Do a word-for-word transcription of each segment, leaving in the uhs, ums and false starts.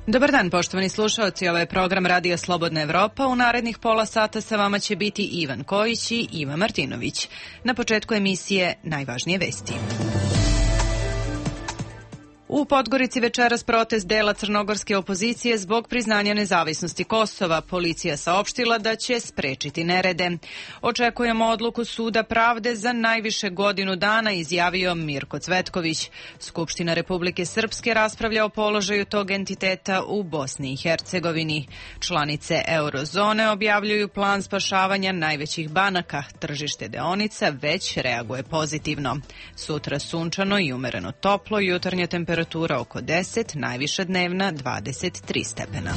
Dobar dan, poštovani slušaoci, ovo je program Radija Slobodna Evropa. U narednih pola sata sa vama će biti Ivan Kojić i Iva Martinović. Na početku emisije najvažnije vesti. U Podgorici večeras protest dela crnogorske opozicije zbog priznanja nezavisnosti Kosova. Policija saopštila da će sprečiti nerede. Očekujemo odluku Suda pravde za najviše godinu dana, izjavio Mirko Cvetković. Skupština Republike Srpske raspravlja o položaju tog entiteta u Bosni i Hercegovini. Članice eurozone objavljuju plan spašavanja najvećih banaka. Tržište deonica već reaguje pozitivno. Sutra sunčano i umereno toplo, jutarnja temperatura Temperatura oko deset, najviša dnevna dvadeset tri stepena.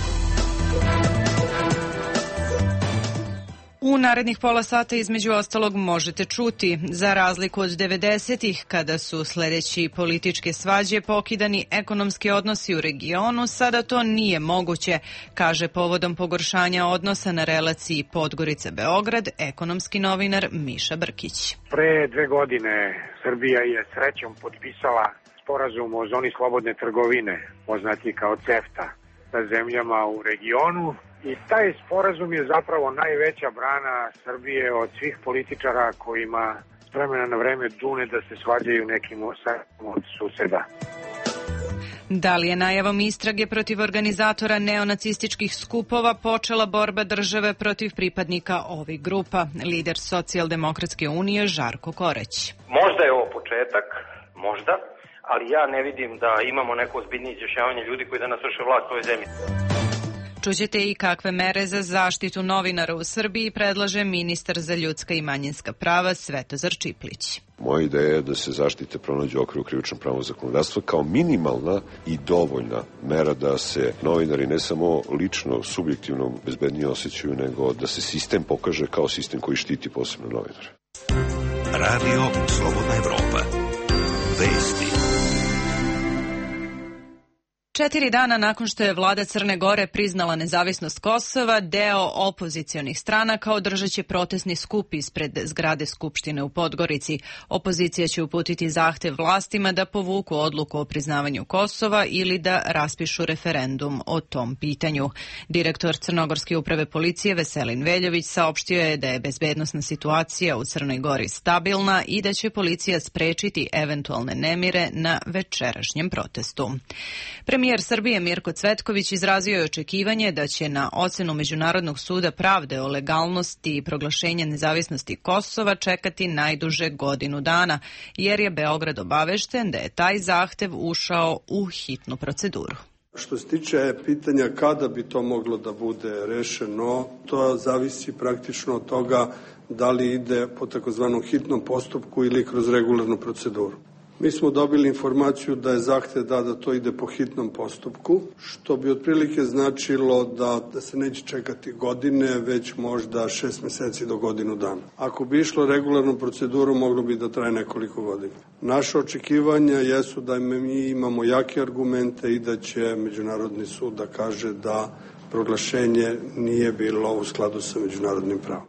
U narednih pola sata između ostalog možete čuti, za razliku od devedesetih kada su sledeći političke svađe pokidani ekonomski odnosi u regionu, sada to nije moguće, kaže povodom pogoršanja odnosa na relaciji Podgorica-Beograd ekonomski novinar Miša Brkić. Pre dve godine Srbija je srećom potpisala sporazum o zoni slobodne trgovine, poznati kao CEFTA, sa zemljama u regionu i taj sporazum je zapravo najveća brana Srbije od svih političara kojima s vremena na vreme dune da se svađaju nekim od suseda. Da li je najavom istrage protiv organizatora neonacističkih skupova počela borba države protiv pripadnika ovih grupa? Lider Socijaldemokratske unije Žarko Koreć. Možda je ovo početak, možda, ali ja ne vidim da imamo neko ozbiljnije izjašnjavanje ljudi koji danas vrše vlast u ovoj zemlji. Čućete i kakve mere za zaštitu novinara u Srbiji predlaže ministar za ljudska i manjinska prava Svetozar Čiplić. Moja ideja je da se zaštite pronađu u okviru krivičnog pravnog zakonodavstva kao minimalna i dovoljna mera da se novinari ne samo lično, subjektivno bezbednije osjećaju, nego da se sistem pokaže kao sistem koji štiti posebno novinare. Radio Slobodna Evropa. Vesti. Četiri dana nakon što je vlada Crne Gore priznala nezavisnost Kosova, deo opozicionih stranaka održat će protestni skup ispred zgrade Skupštine u Podgorici. Opozicija će uputiti zahtev vlastima da povuku odluku o priznavanju Kosova ili da raspišu referendum o tom pitanju. Direktor Crnogorske uprave policije Veselin Veljović saopštio je da je bezbednosna situacija u Crnoj Gori stabilna i da će policija sprečiti eventualne nemire na večerašnjem protestu. Premijer Srbije Mirko Cvetković izrazio je očekivanje da će na ocenu Međunarodnog suda pravde o legalnosti i proglašenja nezavisnosti Kosova čekati najduže godinu dana, jer je Beograd obavešten da je taj zahtev ušao u hitnu proceduru. Što se tiče pitanja kada bi to moglo da bude rešeno, to zavisi praktično od toga da li ide po takozvanom hitnom postupku ili kroz regularnu proceduru. Mi smo dobili informaciju da je zahtev da da to ide po hitnom postupku, što bi otprilike značilo da, da se neće čekati godine, već možda šest meseci do godinu dana. Ako bi išlo regularnu proceduru, moglo bi da traje nekoliko godina. Naše očekivanja jesu da mi imamo jake argumente i da će Međunarodni sud da kaže da proglašenje nije bilo u skladu sa međunarodnim pravom.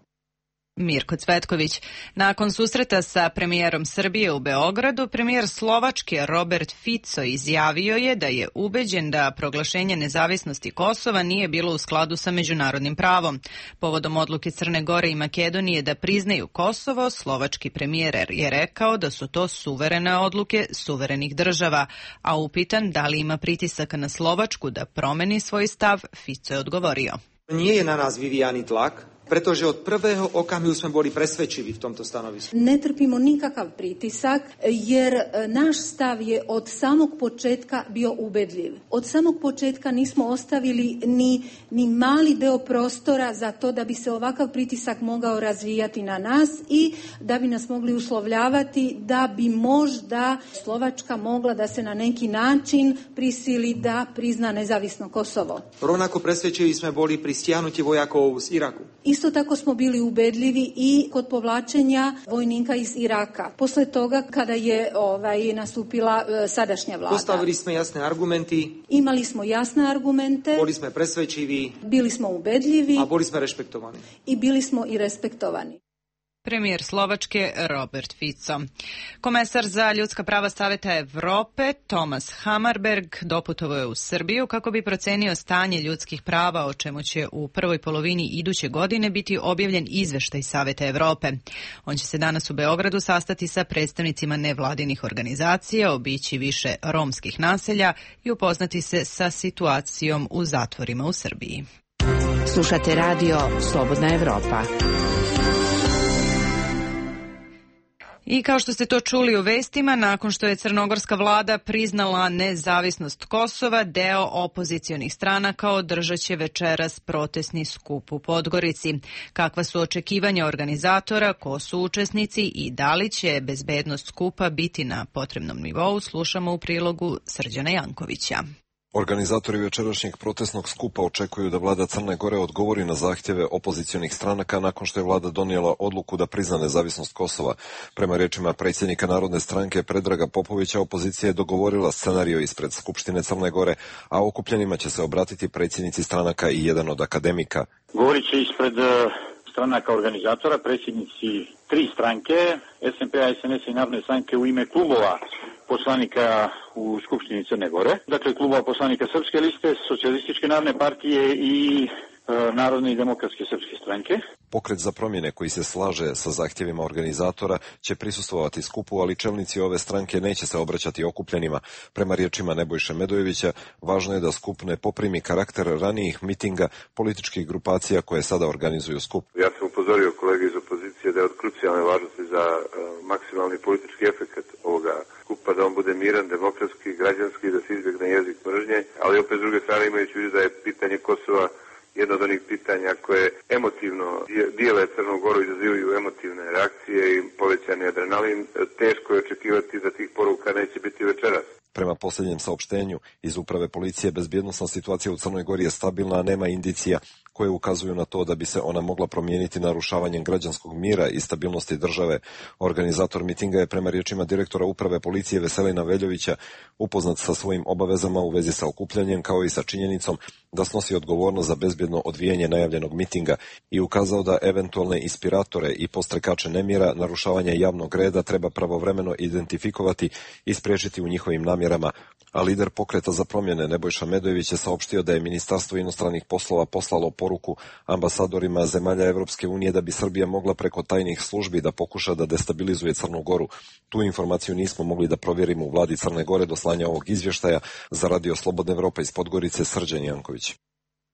Mirko Cvetković. Nakon susreta sa premijerom Srbije u Beogradu, premijer Slovačke Robert Fico izjavio je da je ubeđen da proglašenje nezavisnosti Kosova nije bilo u skladu sa međunarodnim pravom. Povodom odluke Crne Gore i Makedonije da priznaju Kosovo, slovački premijer je rekao da su to suverene odluke suverenih država, a upitan da li ima pritisaka na Slovačku da promeni svoj stav, Fico je odgovorio. Nije je na nás vyvíjaný tlak, pretože od prvého okamihu sme boli presvedčiví v tomto stanovisku. Ne trpimo nikakav pritisak, jer naš stav je od samog početka bio ubedljiv. Od samog početka nismo ostavili ni, ni mali deo prostora za to da bi se ovakav pritisak mogao razvijati na nas i da bi nas mogli uslovljavati da bi možda Slovačka mogla da se na neki način prisili da prizna nezavisno Kosovo. Rovnako presvedčiví sme boli pri stiahnutí vojakov z Iraku. Isto tako smo bili ubedljivi i kod povlačenja vojnika iz Iraka. Posle toga kada je ovaj nastupila e, sadašnja vlada. Postavili smo jasne argumenti. Imali smo jasne argumente. Boli smo presvedčiví. Bili smo ubedljivi. A boli smo respektovani. I bili smo i respektovani. Premijer Slovačke Robert Fico. Komesar za ljudska prava Saveta Evrope Thomas Hammarberg doputovao je u Srbiju kako bi procenio stanje ljudskih prava, o čemu će u prvoj polovini iduće godine biti objavljen izveštaj Saveta Evrope. On će se danas u Beogradu sastati sa predstavnicima nevladinih organizacija, obići više romskih naselja i upoznati se sa situacijom u zatvorima u Srbiji. Slušate radio Slobodna Evropa. I kao što ste to čuli u vestima, nakon što je crnogorska vlada priznala nezavisnost Kosova, deo opozicionih stranaka održat će večeras protestni skup u Podgorici. Kakva su očekivanja organizatora, ko su učesnici i da li će bezbednost skupa biti na potrebnom nivou, slušamo u prilogu Srđana Jankovića. Organizatori večerašnjeg protestnog skupa očekuju da vlada Crne Gore odgovori na zahtjeve opozicionih stranaka nakon što je vlada donijela odluku da prizna nezavisnost Kosova. Prema rečima predsjednika Narodne stranke Predraga Popovića, opozicija je dogovorila scenario ispred Skupštine Crne Gore, a okupljenima će se obratiti predsjednici stranaka i jedan od akademika. Govorit će ispred stranaka organizatora, predsjednici tri stranke, S N P-a, S N S-a i Narodne stranke u ime klubova poslanika u Skupštini Crne Gore. Dakle, klubova poslanika Srpske liste, Socijalističke narodne partije i e, Narodne i demokratske srpske stranke. Pokret za promjene koji se slaže sa zahtjevima organizatora će prisustvovati skupu, ali čelnici ove stranke neće se obraćati okupljenima. Prema riječima Nebojše Medojevića, važno je da skup ne poprimi karakter ranijih mitinga političkih grupacija koje sada organizuju skup. Ja sam upozorio kolege iz opozicije da je od krucijalne važnosti za uh, maksimalni politički efekt ovoga skupa, da on bude miran, demokratski, građanski, da se izbjegne jezik mržnje, ali opet s druge strane imajući u vidu da je pitanje Kosova jedno od onih pitanja koje emotivno dijele Crnu Goru, izazivaju emotivne reakcije i povećani adrenalin, teško je očekivati da tih poruka neće biti večeras. Prema posljednjem saopštenju iz uprave policije, bezbjednosna situacija u Crnoj Gori je stabilna, a nema indicija koje ukazuju na to da bi se ona mogla promijeniti narušavanjem građanskog mira i stabilnosti države. Organizator mitinga je prema riječima direktora uprave policije Veselina Veljovića upoznat sa svojim obavezama u vezi sa okupljanjem, kao i sa činjenicom da snosi odgovornost za bezbjedno odvijanje najavljenog mitinga i ukazao da eventualne inspiratore i postrekače nemira, narušavanja javnog reda treba pravovremeno identifikovati i spriječiti u njihovim namjerama. A lider pokreta za promjene Nebojša Medojević je saopštio da je Ministarstvo inostranih poslova poslalo poruku ambasadorima zemalja Evropske unije da bi Srbija mogla preko tajnih službi da pokuša da destabilizuje Crnu Goru. Tu informaciju nismo mogli da provjerimo u vladi Crne Gore do slanja ovog izvještaja. Za radio Slobodna Evropa iz Podgorice, Srđan Janković.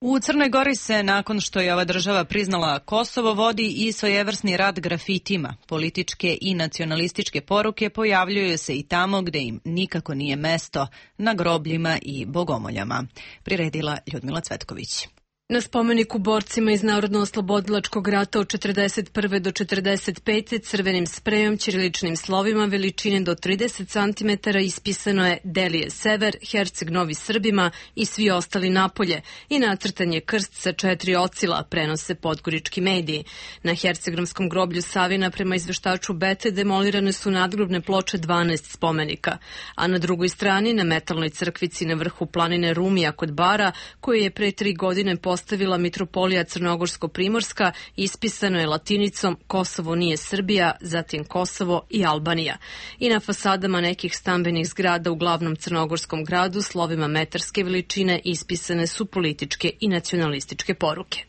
U Crnoj Gori se, nakon što je ova država priznala Kosovo, vodi i svojevrsni rat grafitima. Političke i nacionalističke poruke pojavljuju se i tamo gde im nikako nije mesto, na grobljima i bogomoljama. Priredila Ljudmila Cvetković. Na spomeniku borcima iz Narodno-oslobodilačkog rata od četrdeset prve do četrdeset pete crvenim sprejom ćiriličnim slovima veličine do trideset centimetara ispisano je Delije sever, Herceg Novi Srbima i svi ostali napolje i nacrtan je krst sa četiri ocila, prenose podgorički mediji. Na Hercegnomskom groblju Savina prema izveštaču Bete demolirane su nadgrobne ploče dvanaest spomenika, a na drugoj strani na metalnoj crkvici na vrhu planine Rumija kod Bara, koju je pre tri godine postavila mitropolija Crnogorsko-Primorska, ispisano je latinicom Kosovo nije Srbija, zatim Kosovo i Albanija. I na fasadama nekih stambenih zgrada u glavnom crnogorskom gradu slovima metarske veličine ispisane su političke i nacionalističke poruke.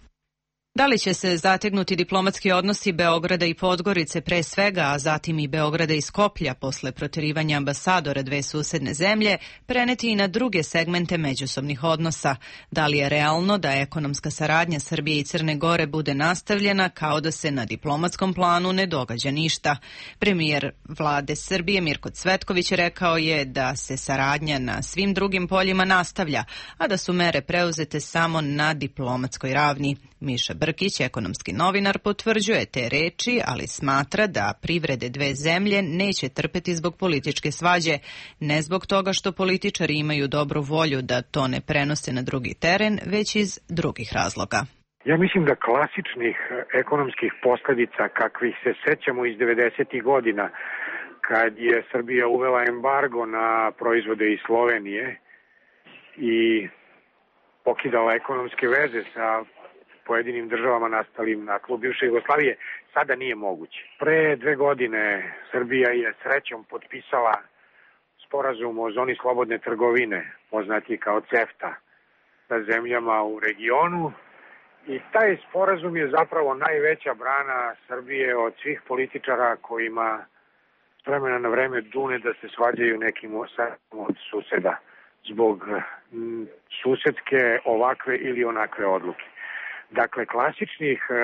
Da li će se zategnuti diplomatski odnosi Beograda i Podgorice pre svega, a zatim i Beograda i Skoplja posle proterivanja ambasadora dve susedne zemlje, preneti i na druge segmente međusobnih odnosa? Da li je realno da ekonomska saradnja Srbije i Crne Gore bude nastavljena kao da se na diplomatskom planu ne događa ništa? Premijer vlade Srbije Mirko Cvetković rekao je da se saradnja na svim drugim poljima nastavlja, a da su mere preuzete samo na diplomatskoj ravni. Miša Brkić, ekonomski novinar, potvrđuje te reči, ali smatra da privrede dve zemlje neće trpeti zbog političke svađe, ne zbog toga što političari imaju dobru volju da to ne prenose na drugi teren, već iz drugih razloga. Ja mislim da klasičnih ekonomskih posljedica kakvih se sećamo iz devedesetih godina, kad je Srbija uvela embargo na proizvode iz Slovenije i pokidala ekonomske veze sa pojedinim državama nastalim na tlu bivše Jugoslavije sada nije moguće. Pre dve godine Srbija je srećom potpisala sporazum o zoni slobodne trgovine, poznati kao CEFTA, sa zemljama u regionu. I taj sporazum je zapravo najveća brana Srbije od svih političara kojima s vremena na vreme dune da se svađaju nekim od suseda zbog susedske ovakve ili onakve odluke. Dakle, klasičnih e,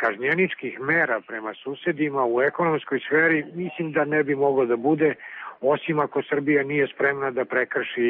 kažnjeničkih mera prema susedima u ekonomskoj sferi mislim da ne bi moglo da bude, osim ako Srbija nije spremna da prekrši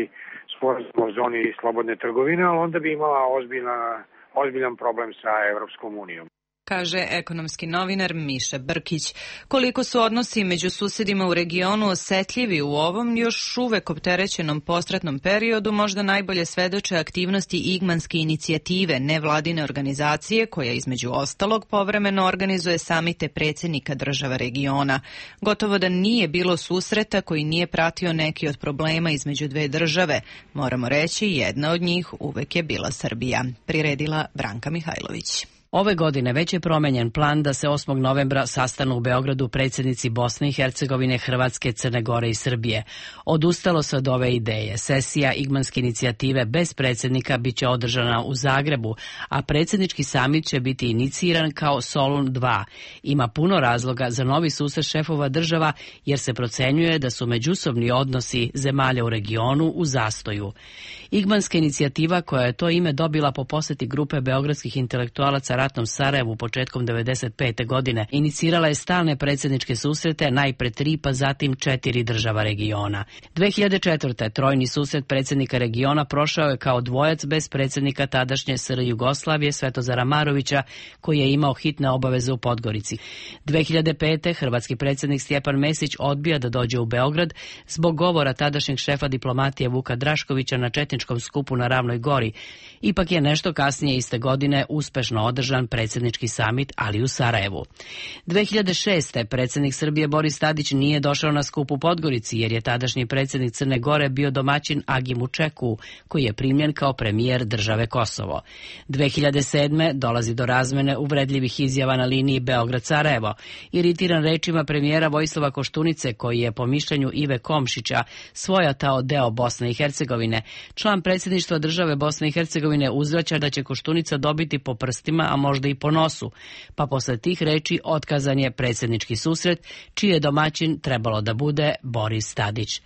sporazum o zoni slobodne trgovine, ali onda bi imala ozbiljna, ozbiljan problem sa Evropskom unijom. Kaže ekonomski novinar Miša Brkić. Koliko su odnosi među susedima u regionu osetljivi u ovom još uvek opterećenom postratnom periodu, možda najbolje svedoče aktivnosti Igmanske inicijative, nevladine organizacije koja između ostalog povremeno organizuje samite predsjednika država regiona. Gotovo da nije bilo susreta koji nije pratio neki od problema između dve države. Moramo reći, jedna od njih uvek je bila Srbija. Priredila Branka Mihajlović. Ove godine već je promenjen plan da se osmog novembra sastanu u Beogradu predsjednici Bosne i Hercegovine, Hrvatske, Crne Gore i Srbije. Odustalo se od ove ideje. Sesija Igmanske inicijative bez predsjednika biće održana u Zagrebu, a predsjednički samit će biti iniciran kao Solun dva. Ima puno razloga za novi susret šefova država jer se procenjuje da su međusobni odnosi zemalja u regionu u zastoju. Igmanska inicijativa, koja je to ime dobila po posjeti grupe beogradskih intelektualaca ratnom Sarajevu početkom devedeset pete. godine, inicirala je stalne predsjedničke susrete, najpre tri pa zatim četiri država regiona. dve hiljade četvrte. trojni susret predsjednika regiona prošao je kao dvojac bez predsjednika tadašnje S R Jugoslavije Svetozara Marovića, koji je imao hitne obaveze u Podgorici. dve hiljade pete. hrvatski predsjednik Stjepan Mesić odbija da dođe u Beograd zbog govora tadašnjeg šefa diplomatije Vuka Draškovića na četničkom skupu na Ravnoj Gori. Ipak je nešto kasnije iste godine uspešno održan predsjednički samit, ali u Sarajevu. dve hiljade šeste. predsjednik Srbije Boris Tadić nije došao na skup u Podgorici jer je tadašnji predsjednik Crne Gore bio domaćin Agimu Čeku, koji je primljen kao premijer države Kosovo. dve hiljade sedme. dolazi do razmene uvredljivih izjava na liniji Beograd-Sarajevo. Iritiran rečima premijera Vojislava Koštunice, koji je po mišljenju Ive Komšića svojatao deo Bosne i Hercegovine, član predsjedništva države Bosne i Hercegovine uzvraća da će Koštunica dobiti po prstima, a možda i po nosu, pa posle tih reči otkazan je predsjednički susret, čiji je domaćin trebalo da bude Boris Tadić.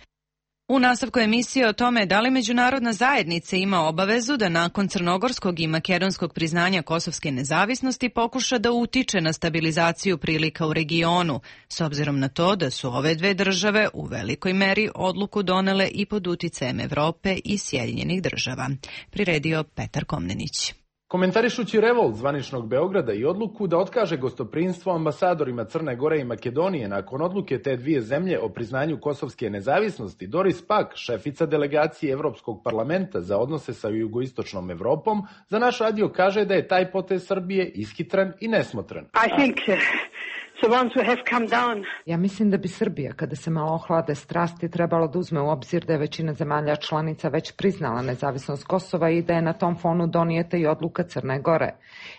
U nastavku emisije o tome da li međunarodna zajednica ima obavezu da nakon crnogorskog i makedonskog priznanja kosovske nezavisnosti pokuša da utiče na stabilizaciju prilika u regionu, s obzirom na to da su ove dve države u velikoj meri odluku donele i pod uticajem Evrope i Sjedinjenih država. Priredio Petar Komnenić. Komentarišući revolt zvaničnog Beograda i odluku da otkaže gostoprinstvo ambasadorima Crne Gore i Makedonije nakon odluke te dvije zemlje o priznanju kosovske nezavisnosti, Doris Pack, šefica delegacije Evropskog parlamenta za odnose sa jugoistočnom Evropom, za naš radio kaže da je taj potez Srbije ishitran i nesmotran. I think the ones who have come down. Ja mislim da bi Srbija, kada se malo ohlade strasti, trebalo da uzme u obzir da je većina zemalja članica već priznala nezavisnost Kosova i da je na tom fonu donijeta i odluka Crne Gore.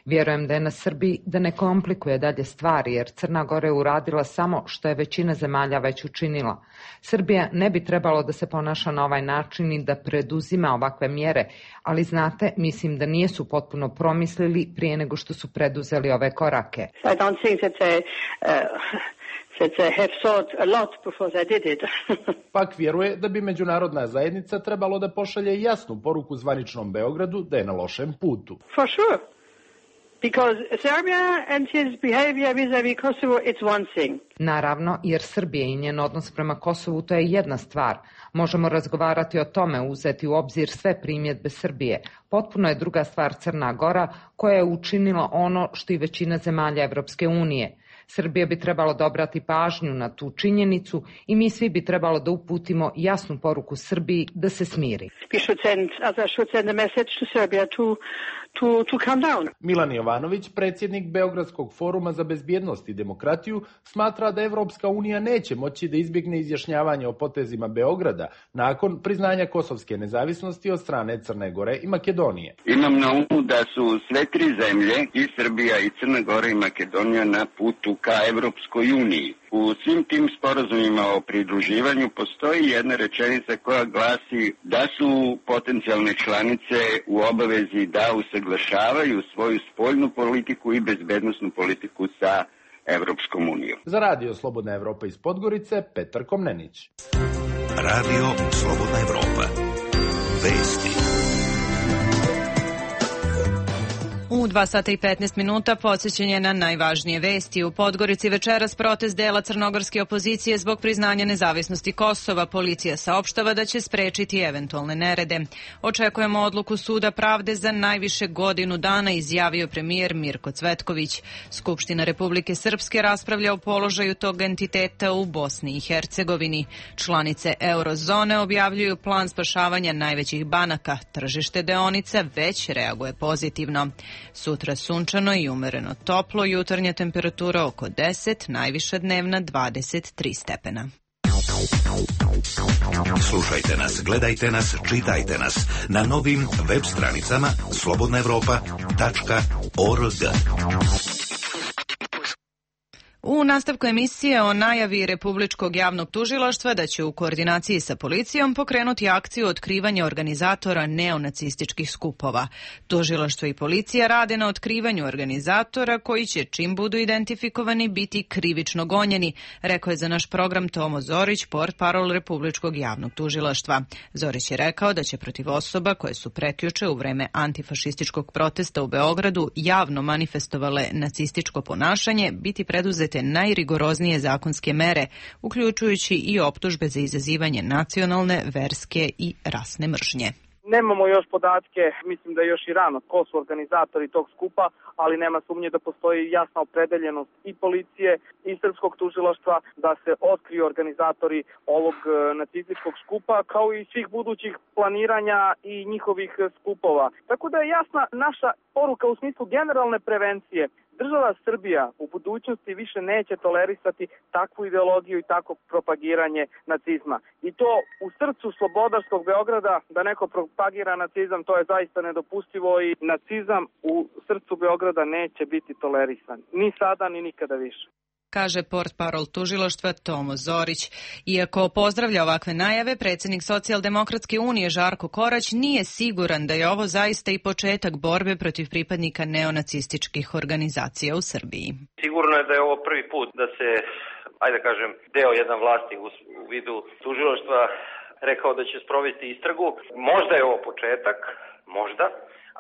Vjerujem da je na Srbiji da ne komplikuje dalje stvari, jer Crna Gora je uradila samo što je većina zemalja već učinila. Srbija ne bi trebalo da se ponaša na ovaj način i da preduzima ovakve mjere, ali znate, mislim da nijesu potpuno promislili prije nego što su preduzeli ove korake. I don't think that they, uh, that they have thought a lot before they did it. Pak vjeruje da bi međunarodna zajednica trebalo da pošalje jasnu poruku zvaničnom Beogradu da je na lošem putu. For sure. Because Serbia and his behavior vis-a-vis Kosovo, it's one thing. Naravno, jer Srbija i njen odnos prema Kosovu to je jedna stvar. Možemo razgovarati o tome, uzeti u obzir sve primjedbe Srbije. Potpuno je druga stvar Crna Gora, koja je učinila ono što i većina zemalja Evropske unije. Srbija bi trebalo da obrati pažnju na tu činjenicu i mi svi bi trebalo da uputimo jasnu poruku Srbiji da se smiri. To, to calm down. Milan Jovanović, predsjednik Beogradskog foruma za bezbjednost i demokratiju, smatra da Evropska unija neće moći da izbjegne izjašnjavanje o potezima Beograda nakon priznanja kosovske nezavisnosti od strane Crne Gore i Makedonije. Imam na umu da su sve tri zemlje, i Srbija, i Crna Gora, i Makedonija, na putu ka Evropskoj uniji. U svim tim sporazumima o pridruživanju postoji jedna rečenica koja glasi da su potencijalne članice u obavezi da usaglašavaju svoju spoljnu politiku i bezbednosnu politiku sa Evropskom unijom. Za Radio Slobodna Evropa iz Podgorice, Petar Komnenić. Radio Slobodna Evropa. Vesti. U dva sata i petnaest minuta podsjećanje na najvažnije vesti. U Podgorici večeras protest dela crnogorske opozicije zbog priznanja nezavisnosti Kosova. Policija saopštava da će sprečiti eventualne nerede. Očekujemo odluku Suda pravde za najviše godinu dana, izjavio premijer Mirko Cvetković. Skupština Republike Srpske raspravlja o položaju tog entiteta u Bosni i Hercegovini. Članice eurozone objavljuju plan spašavanja najvećih banaka. Tržište deonica već reaguje pozitivno. Sutra sunčano i umereno toplo, jutarnja temperatura oko deset, najviša dnevna dvadeset tri stepena. Slušajte nas, gledajte nas, čitajte nas na novim web stranicama slobodna evropa tačka org. U nastavku emisije o najavi Republičkog javnog tužilaštva da će u koordinaciji sa policijom pokrenuti akciju otkrivanja organizatora neonacističkih skupova. Tužilaštvo i policija rade na otkrivanju organizatora koji će, čim budu identifikovani, biti krivično gonjeni, rekao je za naš program Tomo Zorić, portparol Republičkog javnog tužilaštva. Zorić je rekao da će protiv osoba koje su prekjuče u vreme antifašističkog protesta u Beogradu javno manifestovale nacističko ponašanje biti preduzete najrigoroznije zakonske mere, uključujući i optužbe za izazivanje nacionalne, verske i rasne mržnje. Nemamo još podatke, mislim da je još i rano ko su organizatori tog skupa, ali nema sumnje da postoji jasna opredeljenost i policije i srpskog tužilaštva da se otkriju organizatori ovog nacističkog skupa, kao i svih budućih planiranja i njihovih skupova. Tako da je jasna naša poruka u smislu generalne prevencije. Država Srbija u budućnosti više neće tolerisati takvu ideologiju i takvo propagiranje nacizma. I to u srcu slobodarskog Beograda, da neko propagira nacizam, to je zaista nedopustivo i nacizam u srcu Beograda neće biti tolerisan. Ni sada, ni nikada više. Kaže portparol tužilaštva Tomo Zorić. Iako pozdravlja ovakve najave, predsjednik Socijaldemokratske unije Žarko Korać nije siguran da je ovo zaista i početak borbe protiv pripadnika neonacističkih organizacija u Srbiji. Sigurno je da je ovo prvi put da se, ajde da kažem, deo jedan vlasti u, u vidu tužilaštva rekao da će sprovesti istragu. Možda je ovo početak, možda,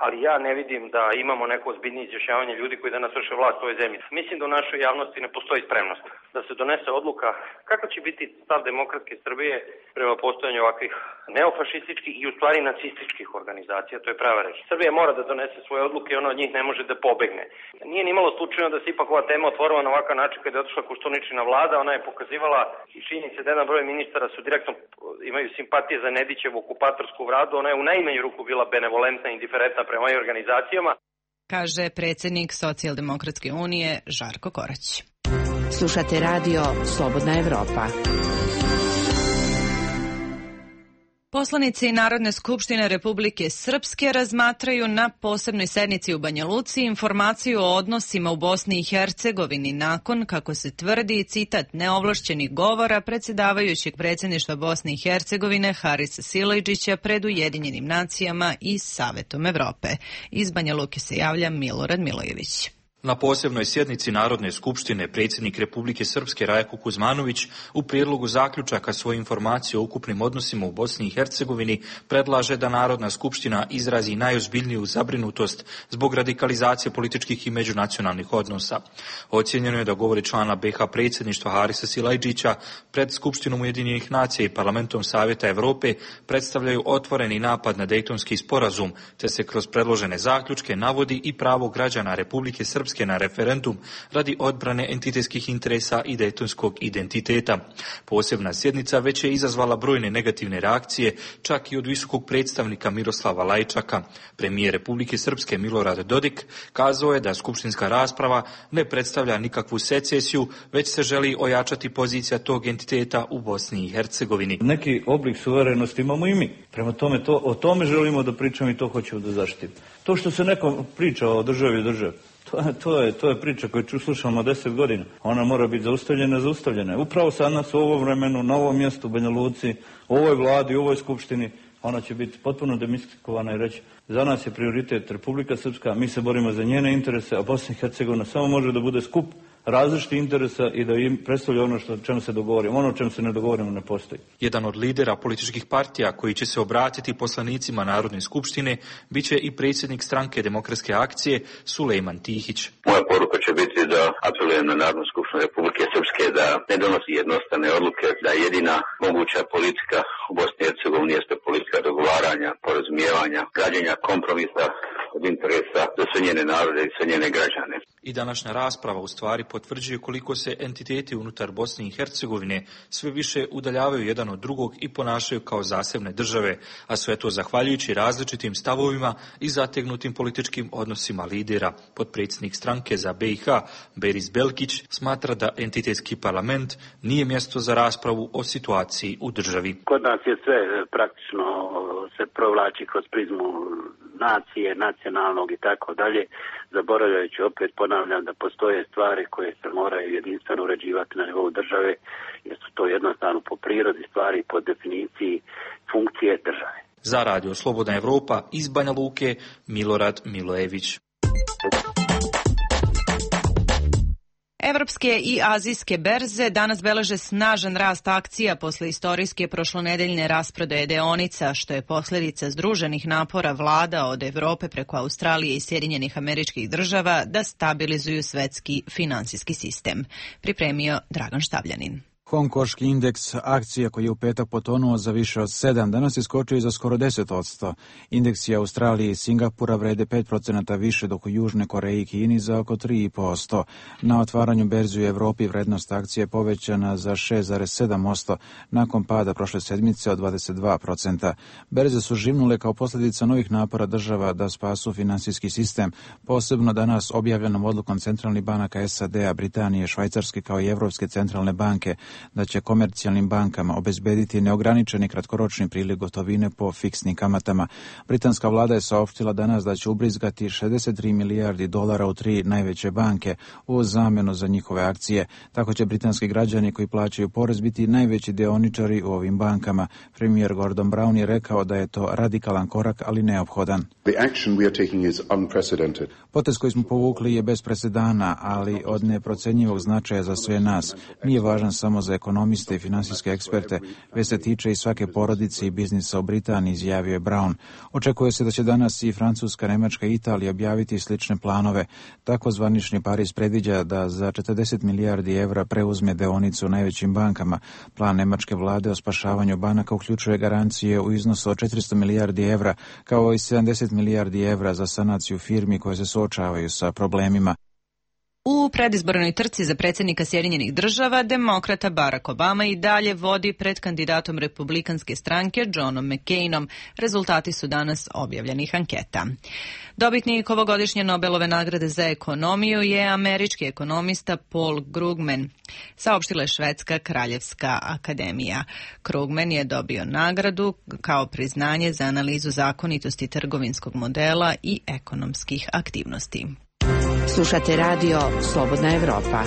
ali ja ne vidim da imamo neko ozbiljnije izjašnjavanje ljudi koji danas vrše vlast u ovoj zemlji. Mislim da u našoj javnosti ne postoji spremnost da se donese odluka kako će biti stav demokratske Srbije prema postojanju ovakvih neofašističkih i u stvari nacističkih organizacija, to je prava reč. Srbija mora da donese svoje odluke i ona od njih ne može da pobegne. Nije ni malo slučajno da se ipak ova tema otvorila na ovakav način kada je otišla Koštuničina vlada, ona je pokazivala i činjenice da jedan broj ministara su direktno imaju simpatije za Nedićevu okupatorsku vladu, ona je u najmanju ruku bila benevolentna i indiferentna prema ovim organizacijama. Kaže predsjednik Socijaldemokratske unije Žarko Korać. Slušate radio Slobodna Evropa. Poslanici Narodne skupštine Republike Srpske razmatraju na posebnoj sednici u Banja Luci informaciju o odnosima u Bosni i Hercegovini nakon, kako se tvrdi, citat, neovlašćenih govora predsjedavajućeg predsjedništva Bosne i Hercegovine Harisa Silajdžića pred Ujedinjenim nacijama i Savetom Evrope. Iz Banja Luke se javlja Milorad Milojević. Na posebnoj sjednici Narodne skupštine predsjednik Republike Srpske Rajko Kuzmanović u prijedlogu zaključaka svoje informacije o ukupnim odnosima u Bosni i Hercegovini predlaže da Narodna skupština izrazi najozbiljniju zabrinutost zbog radikalizacije političkih i međunacionalnih odnosa. Ocijenjeno je da govori člana be ha predsjedništva Harisa Silajdžića pred Skupštinom Ujedinjenih nacija i Parlamentom Savjeta Evrope predstavljaju otvoreni napad na Dejtonski sporazum, te se kroz predložene zaključke navodi i pravo građana Republike Srpske Srpske na referendum radi odbrane entitetskih interesa i dejtonskog identiteta. Posebna sjednica već je izazvala brojne negativne reakcije, čak i od visokog predstavnika Miroslava Lajčaka. Premijer Republike Srpske Milorad Dodik kazao je da skupštinska rasprava ne predstavlja nikakvu secesiju, već se želi ojačati pozicija tog entiteta u Bosni i Hercegovini. Neki oblik suverenosti imamo i mi. Prema tome, to, o tome želimo da pričamo i to hoćemo da zaštitimo. To što se neko priča o državi i državi, to, to, je, to je priča koju slušamo deset godina. Ona mora biti zaustavljena, zaustavljena. Upravo sad nas u ovom vremenu, na ovom mjestu, u Banja Luci, u ovoj vladi, u ovoj skupštini, ona će biti potpuno demistifikovana i reći za nas je prioritet Republika Srpska, mi se borimo za njene interese, a Bosna i Hercegovina samo može da bude skup različitih interesa i da im predstavlja ono što čemu se dogovorimo. Ono o čemu se ne dogovorimo ne postoji. Jedan od lidera političkih partija koji će se obratiti poslanicima Narodne skupštine biće i predsjednik stranke Demokratske akcije Sulejman Tihić. Moja poruka će biti da apelujem na Narodnu skupštinu Republike Srpske da ne donosi jednostavne odluke, da jedina moguća politika u Bosni i Hercegovini jeste politika dogovaranja, porazumijevanja, građenja kompromisa od interesa za sve njene narode i sve njene građane. I današnja rasprava u stvari potvrđuje koliko se entiteti unutar Bosne i Hercegovine sve više udaljavaju jedan od drugog i ponašaju kao zasebne države, a sve to zahvaljujući različitim stavovima i zategnutim političkim odnosima lidera. Potpredsjednik stranke za B i H, Beris Belkić, smatra da entitetski parlament nije mjesto za raspravu o situaciji u državi. Kod nas je sve praktično se provlači kroz prizmu nacije, nacionalnog i tako dalje, zaboravljajući, opet ponavljam, da postoje stvari koje se moraju jedinstveno uređivati na nivou države, jer su to jednostavno po prirodi stvari, po definiciji funkcije države. Za Radio Slobodna Evropa iz Banja Luke, Milorad Milojević. Evropske i azijske berze danas beleže snažan rast akcija posle istorijske prošlonedeljne rasprodaje deonica, što je posljedica združenih napora vlada od Evrope preko Australije i Sjedinjenih Američkih Država da stabilizuju svetski finansijski sistem. Pripremio Dragan Štavljanin. Hongkonški indeks akcija koji je u petak potonuo za više od sedam, danas je skočio za skoro deset posto. Indeksi Australije i Singapura vrede pet procenata više, dok u Južne Koreji i Kini za oko tri posto. Na otvaranju berzi u Evropi vrednost akcije je povećana za šest zarez sedam posto nakon pada prošle sedmice od dvadeset dva procenta. Berze su živnule kao posljedica novih napora država da spasu finansijski sistem, posebno danas objavljenom odlukom centralnih banaka S A D-a, Britanije, Švajcarske kao i Evropske centralne banke da će komercijalnim bankama obezbediti neograničeni kratkoročni priliv gotovine po fiksnim kamatama. Britanska vlada je saopštila danas da će ubrizgati šezdeset tri milijardi dolara u tri najveće banke u zamjenu za njihove akcije. Tako će britanski građani koji plaćaju porez biti najveći deoničari u ovim bankama. Premijer Gordon Brown je rekao da je to radikalan korak, ali neophodan. Potez koji smo povukli je bez presedana, ali od neprocenjivog značaja za sve nas. Nije važan samo za ekonomiste i finansijske eksperte, već se tiče i svake porodice i biznisa u Britaniji, izjavio je Brown. Očekuje se da će danas i Francuska, Nemačka i Italija objaviti slične planove. Tako zvanični Pariz predviđa da za četrdeset milijardi evra preuzme deonicu u najvećim bankama. Plan nemačke vlade o spašavanju banaka uključuje garancije u iznosu od četiristo milijardi evra, kao i sedamdeset milijardi evra za sanaciju firmi koje se suočavaju sa problemima. U predizbornoj trci za predsjednika Sjedinjenih Država, demokrata Barack Obama i dalje vodi pred kandidatom republikanske stranke Johnom McCainom. Rezultati su danas objavljenih anketa. Dobitnik ovogodišnje Nobelove nagrade za ekonomiju je američki ekonomista Paul Krugman, saopštila je Švedska kraljevska akademija. Krugman je dobio nagradu kao priznanje za analizu zakonitosti trgovinskog modela i ekonomskih aktivnosti. Slušate radio Slobodna Evropa.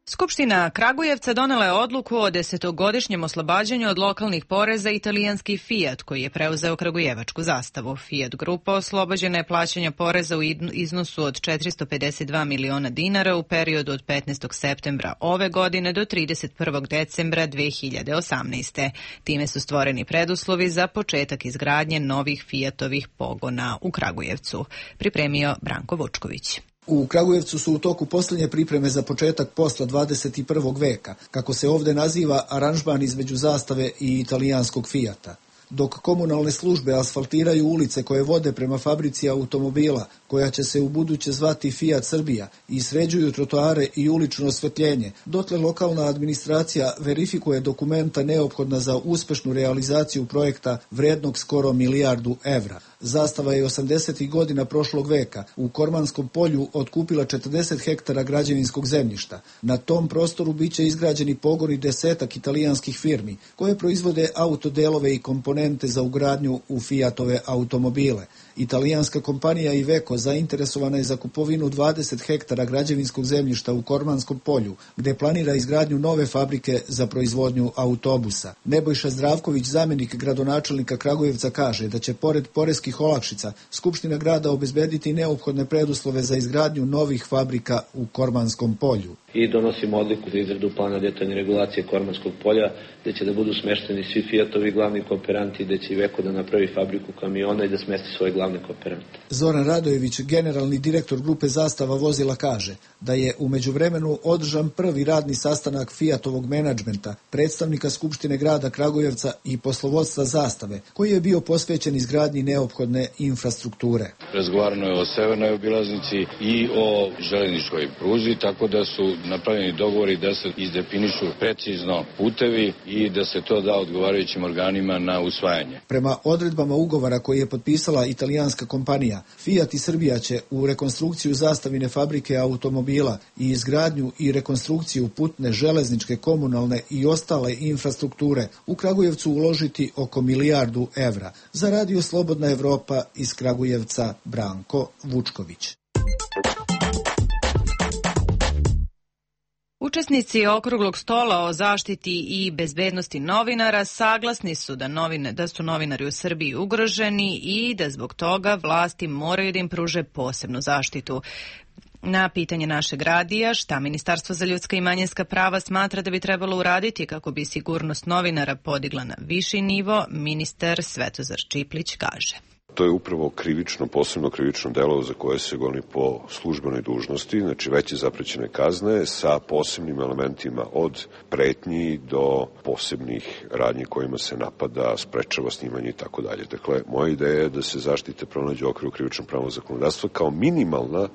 Skupština Kragujevca donela je odluku o desetogodišnjem oslobađanju od lokalnih poreza italijanski Fiat, koji je preuzeo kragujevačku zastavu. Fiat grupa oslobođena je plaćanja poreza u iznosu od četiristo pedeset dva miliona dinara u periodu od petnaestog septembra ove godine do trideset prvog decembra dve hiljade osamnaeste. Time su stvoreni preduslovi za početak izgradnje novih Fiatovih pogona u Kragujevcu. Pripremio Branko Vučković. U Kragujevcu su u toku posljednje pripreme za početak posla dvadeset prvog veka, kako se ovdje naziva aranžman između zastave i italijanskog Fijata. Dok komunalne službe asfaltiraju ulice koje vode prema fabrici automobila, koja će se u buduće zvati Fiat Srbija, i sređuju trotoare i ulično osvetljenje, dotle lokalna administracija verifikuje dokumenta neophodna za uspešnu realizaciju projekta vrednog skoro milijardu evra. Zastava je osamdesetih godina prošlog veka u Kormanskom polju otkupila četrdeset hektara građevinskog zemljišta. Na tom prostoru biće izgrađeni pogoni desetak italijanskih firmi koje proizvode autodelove i komponente za ugradnju u Fiatove automobile. Italijanska kompanija Iveco zainteresovana je za kupovinu dvadeset hektara građevinskog zemljišta u Kormanskom polju, gde planira izgradnju nove fabrike za proizvodnju autobusa. Nebojša Zdravković, zamjenik gradonačelnika Kragujevca, kaže da će pored poreskih olakšica Skupština grada obezbediti neophodne preduslove za izgradnju novih fabrika u Kormanskom polju. I donosimo odluku za izradu plana detaljne regulacije Kormanskog polja, gde će da budu smešteni svi Fiatovi glavni kooperanti, gde će Iveco da napravi fabriku kamiona i da smesti svoje glavne kooperante. Zoran Radojević, generalni direktor grupe Zastava vozila, kaže da je u međuvremenu održan prvi radni sastanak Fiatovog menadžmenta, predstavnika Skupštine grada Kragujevca i poslovodstva Zastave, koji je bio posvećen izgradnji neophodne infrastrukture. Razgovarano je o severnoj obilaznici i o železničkoj pruzi, tako da su napravljeni dogovori da se izdefinišu precizno putevi i da se to da odgovarajućim organima na usvajanje. Prema odredbama ugovora koji je potpisala italijanska kompanija, Fiat i Srbija će u rekonstrukciju Zastavine fabrike automobila i izgradnju i rekonstrukciju putne, železničke, komunalne i ostale infrastrukture u Kragujevcu uložiti oko milijardu evra. Za Radio Slobodna Evropa iz Kragujevca, Branko Vučković. Učesnici okruglog stola o zaštiti i bezbednosti novinara saglasni su da, novine, da su novinari u Srbiji ugroženi i da zbog toga vlasti moraju da im pruže posebnu zaštitu. Na pitanje našeg radija šta Ministarstvo za ljudska i manjinska prava smatra da bi trebalo uraditi kako bi sigurnost novinara podigla na viši nivo, ministar Svetozar Čiplić kaže. To je upravo krivično, posebno krivično delo za koje se goni po službenoj dužnosti, znači veće zaprećene kazne sa posebnim elementima od pretnji do posebnih radnji kojima se napada, sprečava snimanje i tako dalje. Dakle, moja ideja je da se zaštite pronađe u okviru krivičnog pravnog zakonodavstva kao minimalna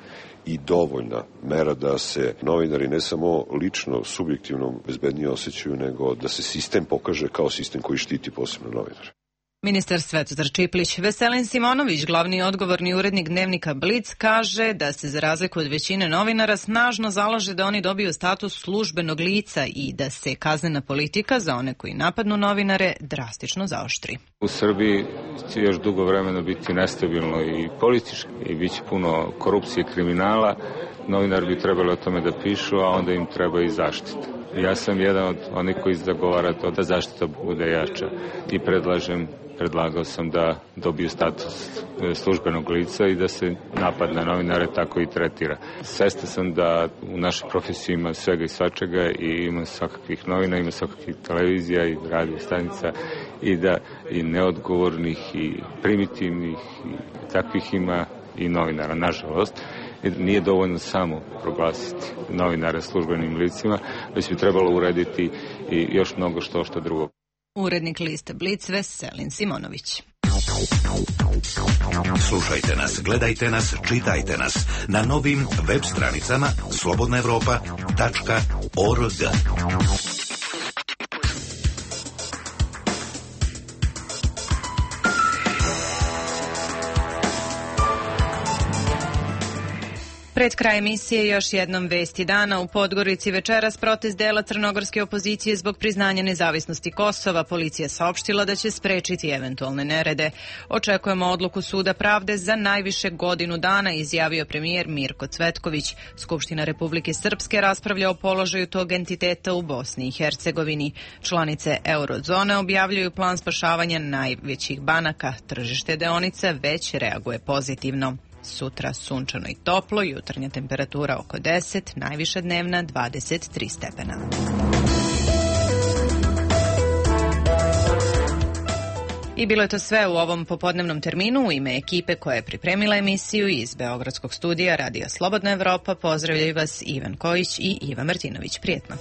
i dovoljna mera da se novinari ne samo lično, subjektivno bezbednije osjećaju, nego da se sistem pokaže kao sistem koji štiti posebno novinare. Ministar Svetozar Čiplić. Veselin Simonović, glavni odgovorni urednik dnevnika Blic, kaže da se za razliku od većine novinara snažno zalaže da oni dobiju status službenog lica i da se kaznena politika za one koji napadnu novinare drastično zaoštri. U Srbiji će još dugo vremena biti nestabilno i politički i bit će puno korupcije i kriminala. Novinar bi trebalo o tome da pišu, a onda im treba i zaštita. Ja sam jedan od onih koji zagovara to da zaštita bude jača i predlažem Predlagao sam da dobiju status službenog lica i da se napad na novinare tako i tretira. Svestan sam da u našoj profesiji ima svega i svačega i ima svakakvih novina, ima svakakvih televizija i radio stanica i da i neodgovornih i primitivnih i takvih ima i novinara, nažalost. Nije dovoljno samo proglasiti novinare službenim licima, već bi trebalo urediti i još mnogo što što drugo. Urednik liste Blic Veselin Simonović. Slušajte nas, gledajte nas, čitajte nas na novim web stranicama slobodna evropa tačka org. Pred kraj emisije još jednom vesti dana. U Podgorici večeras protest dela crnogorske opozicije zbog priznanja nezavisnosti Kosova. Policija saopštila da će sprečiti eventualne nerede. Očekujemo odluku Suda pravde za najviše godinu dana, izjavio premijer Mirko Cvetković. Skupština Republike Srpske raspravlja o položaju tog entiteta u Bosni i Hercegovini. Članice eurozone objavljuju plan spašavanja najvećih banaka. Tržište deonica već reaguje pozitivno. Sutra sunčano i toplo, jutarnja temperatura oko deset, najviša dnevna dvadeset tri stepena. I bilo je to sve u ovom popodnevnom terminu. U ime ekipe koja je pripremila emisiju iz Beogradskog studija Radija Slobodna Evropa pozdravljaju vas Ivan Kojić i Iva Martinović. Prijetno.